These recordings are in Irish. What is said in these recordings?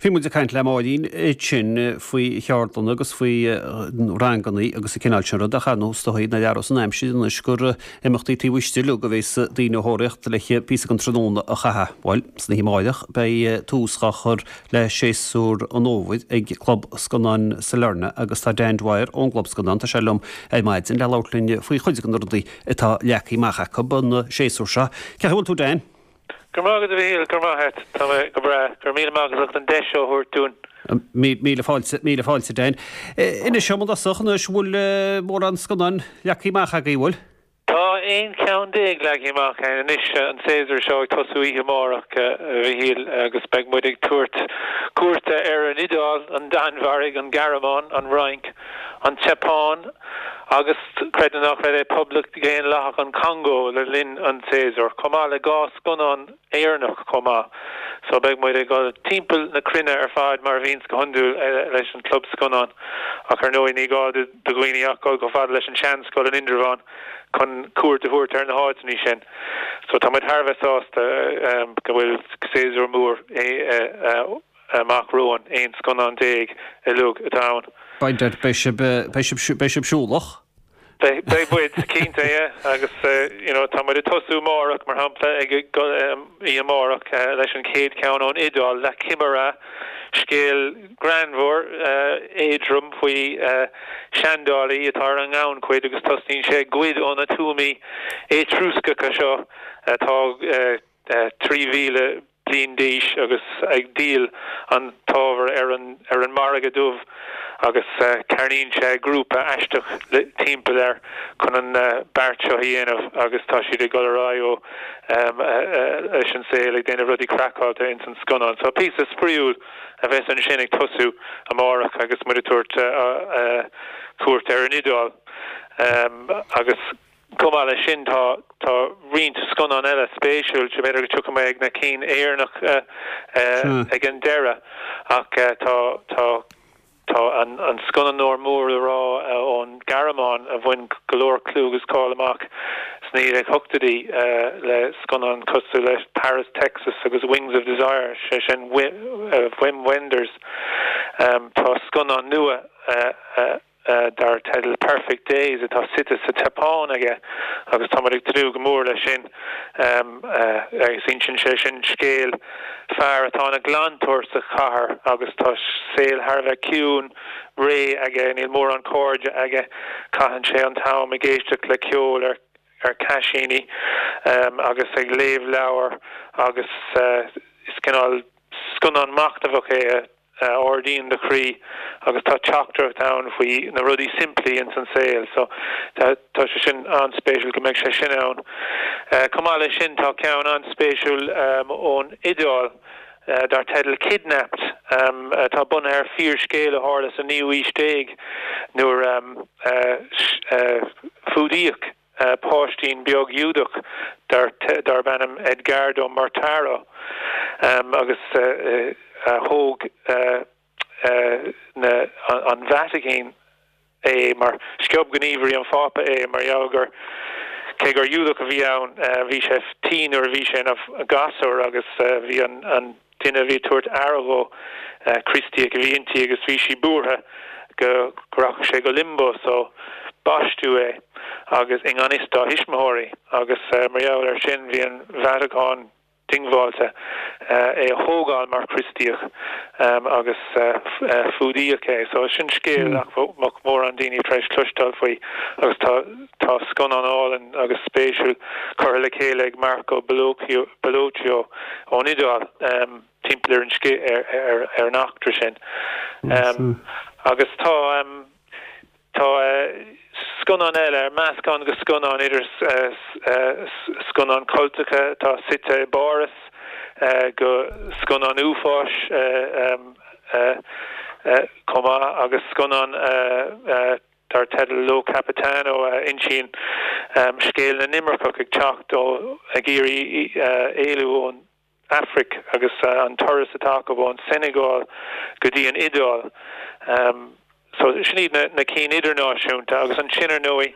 Bhí muid ag caint le Máirín ansin faoi cheardlanna agus faoi ranganna agus an cineál sin rud ach ar ndóigh is dóigh nár athródh an aimsir anois gur imeachtaí taobh istigh uilig a bheas daoine a thóraíocht le píosa den tráthnóna a chaitheamh. Bhuel, san oíche amáireach beidh tús á chur le séasúr an fhómhair ag Club Scannán Sailearna agus tá Dan Dwyer ón gClub Scannán, tá sé liom ar maidin le labhairt linn faoi chuid de na rudaí atá leagtha amach acu an séasúr seo. Cén chaoi a bhfuil tú Dan? Go raibh maith agat a Mhichíl, go raibh maith agat. Tá mé go breá. Go raibh míle maith agat as ucht an deis seo a thabhairt dúinn. Míle fáilte, míle fáilte Dan. Inis dom i dtosach anois, an bhfuil mórán scannán leagtha amach agaibh, bhfuil? Tá 11 ceann leagtha amach againn anois, an séasúr seo ag tosú oíche amárach, a Mhichíl, agus beidh muid ag tabhairt cuairte ar an Iodáil, an Danmhairg, an Ghearmáin, an Fhrainc, an tSeapáin agus, creid nó ná creid é, Poblacht Dhaonlathach an Chongó le linn an tséasúir, chomh maith le 2 scannán Éireannach chomh maith. So beidh muid ag dul timpeall na cruinne ar fad mar a bhíonns go hiondúil leis an Chlub Scannán. Ach ar ndóigh ní gá do dhaoine ach dul chomh fada leis an Seanscoil in Indreabhán chun cuairt a thabhairt ar na háiteanna sin. So tá muid thar a bheith sásta go bhfuil séasúr mór amach romhainn, 11 scannán uilig atá ann. Beidh, beidh sibh, beidh sibh, beidh sibh siúlach. Beidh, beidh muid, cinnte, yeah. Agus, you know, tá muid ag tosú amárach, mar shampla, ag oíche amárach leis an chéad cheann ón Iodáil, La Chimera, scéal greannmhar, éadrom faoi seandálaí atá ar an ngannchuid agus tosnaíonn sé ag goid ó na tuamaí Éatrúscacha seo atá 3,000 bliain d'aois agus ag díol an t-ábhar ar an ar an margadh dubh agus cearnaíonn sé grúpa aisteach timpeall air chun an beart seo a dhéanamh agus tá siad ag dul ar aghaidh ó leis an saol ag déanamh rudaí craiceáilte ins an scannán. So píosa spraíúil a bheas ansin ag tosú amárach agus muid ag tabhairt cuairt ar an Iodáil agus Chomh maith leis sin, tá tá roinnt scannán eile spéisiúil, b'fhéidir go dtiocfaidh mé ag na cinn Éireannacha ag an deireadh, ach tá tá tá an an scannánóir mór le rá ón Ghearmáin a bhain go leor clú agus cáil amach sna 1980idí le scannáin cosúil le Paris, Texas agus Wings of Desire, sé sin Wim Wenders. Tá scannán nua dar teideal Perfect Days atá suite sa tSeapáin aige agus tá muid ag tnúth go mór leis sin agus insíonn sé sin scéal fear atá ina ghlantóir sa chathair agus tá saol thar a bheith ciúin, réidh aige, níl mórán cairde aige, caitheann sé an t-am ag éisteacht le ceol ar ar chaisíní agus ag léamh leabhar agus is cineál scannán machnamhach é a ardaíonn do chroí agus tá teachtaireacht ann faoi na rudaí simplí ins an saol so tá sé sin an-spéisiúil go mbeidh sé sin ann. Chomh maith leis sin tá ceann an-spéisiúil ón Iodáil dar teideal Kidnapped atá bunaithe ar fíorscéal a tharla sa naoú aois déag nuair a fuadaíodh páistín beag Giúdach darb ainm Edgardo Mortara agus thóg an Vatacáin é mar sciob gníomhairí an Phápa é mar gheall gur cé gur Giúdach a bhí ann bhí sé tinn nuair a bhí sé ina ghasúr agus bhí an duine a bhí ag tabhairt aire dhó, Críostaíoch a bhí inti agus bhí sí buartha go rachadh sé go limbo so baisteadh é agus i ngan fhios dá thuismitheoirí agus mar gheall air sin bhí an Vatacáin diongbháilte é a thógáil mar Chríostaíoch agus fuadaíodh é. So sin scéal nach mbeadh mórán daoine tar éis cloisteáil faoi agus tá tá scannán álainn agus spéisiúil curtha le chéile ag Marco Bellocchio ón Iodáil timpeall ar an ar an eachtra sin. Agus tá tá scannán eile, meascán de scannáin idir scannáin cultacha atá suite i bPáras go scannán uafáis chomh maith agus scannán dar teideal Lo Capitano a insíonn scéal na n-imirceach ag teacht ó ag iarraidh éalú ón Afraic agus an turas atá acu ón Seineagáil go dtí an Iodáil. So sin iad na cinn idirnáisiúnta agus ansin ar ndóigh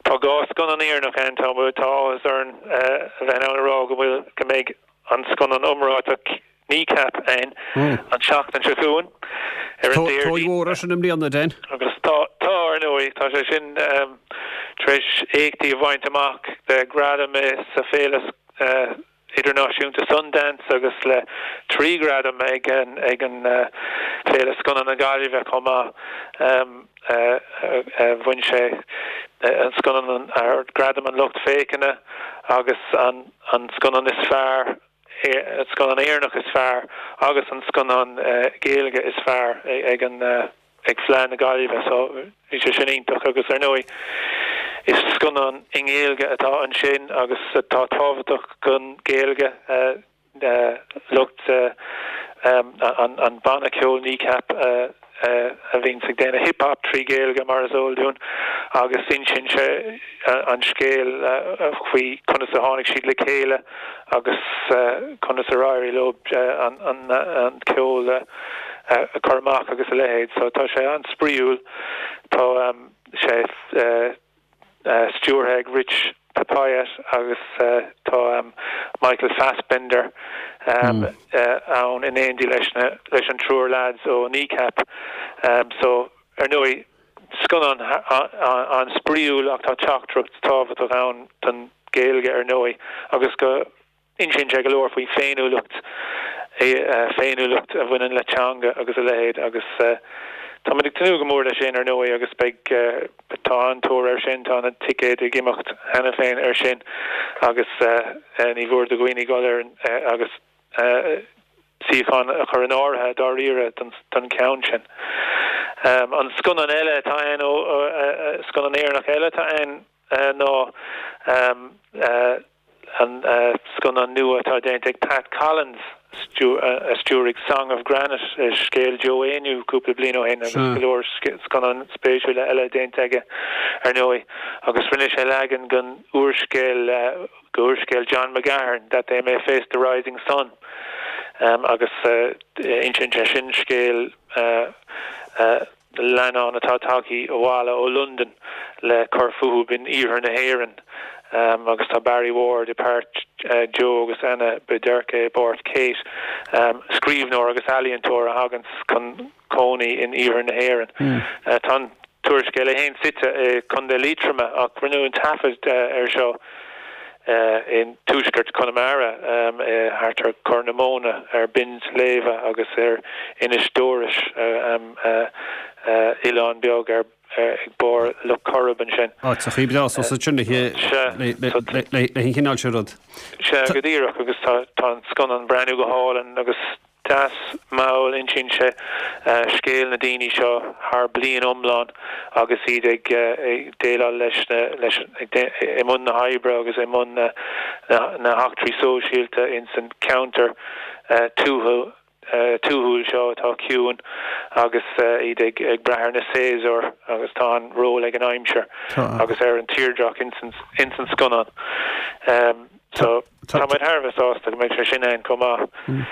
tá 2 scannán Éireannach ann. Tá áthas orainn a bheith in ann a rá go bhfuil go mbeidh an scannán iomráiteach. Kneecap ann an tseachtain seo chugainn ar an Déardaoin. Tóir mhór air sin i mbliana, Dan. Agus tá, tá, ar ndóigh, tá sé sin tar éis éachtaí a bhaint amach le gradam sa Féile Idirnáisiúnta Sundance agus le 3 ghradam ag an ag an Féile Scannán na Gaillimhe chomh maith. Bhain sé an scannán gradam an lucht féachana agus an an scannán is fearr, an scannán Éireannach is fearr agus an scannán Gaeilge is fearr ag an ag Fleadh na Gaillimhe so bhí sé sin iontach agus ar ndóigh is scannán i nGaeilge atá ansin agus atá tábhachtach don Ghaeilge lucht an banna ceoil Kneecap a bhíonns ag déanamh hip hop trí Ghaeilge mar is eol dúinn agus insíonn sé an scéal faoi conas a tháinig siad le chéile agus conas ar éirigh leo an ceol a chur amach agus a leithéid. So tá sé an-spraíúil. Tá sé stiúrtha ag Rich Peppiatt agus tá Michael Fassbender ann in éindí leis leis an triúr leaids ó Kneecap. So ar ndóigh scannán an-spraíúil ach tá teachtaireacht tábhachtach ann don Ghaeilge ar ndóigh agus go Insíonn sé go leor faoi féiniúlacht, féiniúlacht a bhaineann le teanga agus a leithéid agus táimid ag tnúth go mór leis sin ar ndóigh agus beidh, tá an-tóir air sin, tá na ticéid ag imeacht cheana féin air sin agus ní mhór do dhaoine dul ar agus suíochán a chur in áirithe dáiríre don cheann sin. An scannán eile atá ann, scannán Éireannach eile atá ann ná an scannán nua atá déanta ag Pat Collins, a stiúraigh Song of Granite, scéal Joe Éinniú cúpla bliain ó shin agus go leor scannáin spéisiúla eile déanta aige ar ndóigh, agus rinne sé leagan den úrscéal, d'úrscéal John McGahern, That They May Face the Rising Sun, agus insíonn sé sin scéal leannán atá tagtha abhaile ó Londain le cur fúthu in iarthar na hÉireann agus tá Barry Ward i bpáirt Joe agus Anna Bederke i bpáirt Kate, scríbhneoir agus ealaíontóir a thaganns chun cónaí in iarthar na hÉireann. Tá an t-úrscéal é féin suite i Contae Liatroma ach rinneadh an taifead air seo i dtuaisceart Chonamara, thart ar Chorr na Móna, ar Binn Sléibhe agus ar Inis Dúrois, oileán beag ar ag barr Loch Coirib ansin. Áiteachaí breá suas ansin le an chineál sin rud. Sea, go díreach, agus tá an scannán ag breathnú go hálainn agus Deas mall, insíonn sé scéal na daoine seo thar bliain iomlán agus iad ag déileáil leis na, leis, i mbun na hoibre agus i mbun na heachtraí sóisialta ins an ceantar tuaithe, tuathúil seo atá ciúin agus iad ag brath ar na séasúir agus tá an ról ag an aimsir agus ar an tírdreach ins an scannán. So, tá muid thar a bheith sásta go mbeidh sé sin ann chomh maith.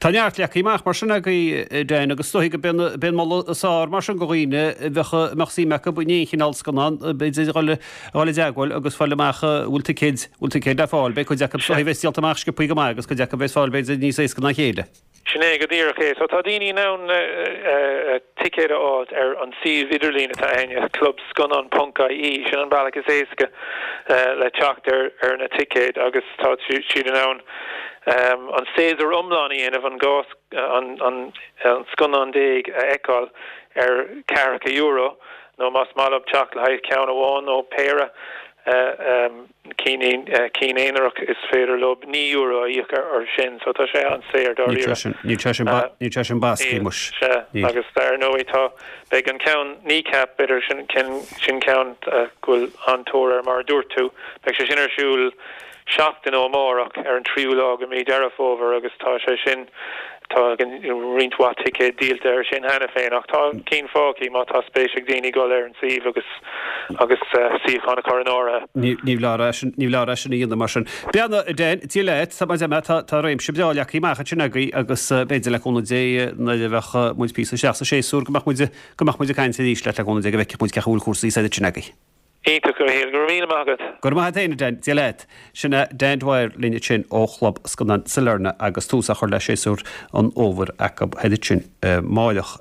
Tá neart leagtha amach mar sin agaibh, a Dan, agus is dóigh go b'é an moladh is fearr mar sin do dhaoine a bheadh, a mbeadh suim acu in aon chineál scannán, b'fhéidir dhul, dhul i dteagmháil agus fáil amach an bhfuil ticéid, bhfuil ticéid le fáil. Beidh cuid acu is dóigh a bheas díolta amach sciobthaí go maith agus cuid acu a bheas fáil b'fhéidir níos éasca ná a chéile. Sin é go díreach é. So tá daoine in ann ticéid a fháilt ar an suíomh idirlín atá againne, clubscannán ponc ie. Sin an bealach is éasca le teacht ar na ticéid agus tá siad in ann an séasúr iomlán a dhéanamh, an 12 an scannán a fheiceáil ar ceathracha euro nó más maith leo teacht le haghaidh ceann amháin nó péire. cinn aonarach is féidir leo €9 a íoc air sin so tá sé an-saor dáiríre. Níl sé sin níl sé sin basctha muis. Sea, agus ar ndóigh tá, beidh an ceann Kneecap, b'fhéidir sin sin ceann go bhfuil an-tóir air mar a dúirt tú, beidh sé sin ar siúl seachtain ó amárach ar an tríú lá de mhí Deireadh Fómhair agus tá sé sin Tá roinnt mhaith ticéad díolta air sin cheana féin ach tá cinn fágtha má tá spéis ag daoine dul ar an suíomh agus agus suíochán a chur in áirithe. Ní foláir é sin, ní foláir é sin a dhéanamh mar sin. Beannacht a Dan, Dia leat, tá mar tá tá réimse breá leagtha amach ansin agaibh agus b'fhéidir le cúnamh Dé nuair a bheadh muid píosa isteach sa séasúr go mbeadh muid go mbeadh muid ag caint arís leat le cúnamh Dé go bhfeicfeadh muid cén chaoi a bhfuil cúrsaí said ansin agaibh. Iontach, a Mhichíl. Go raibh míle maith agat. Go raibh maith agat féin, a Dan. Dia leat. Sin é Dan Dwyer linn ansin ó Chlub Scannán Sailearna agus tús á chur le séasúr an fhómhair acu thoir ansin amáireach.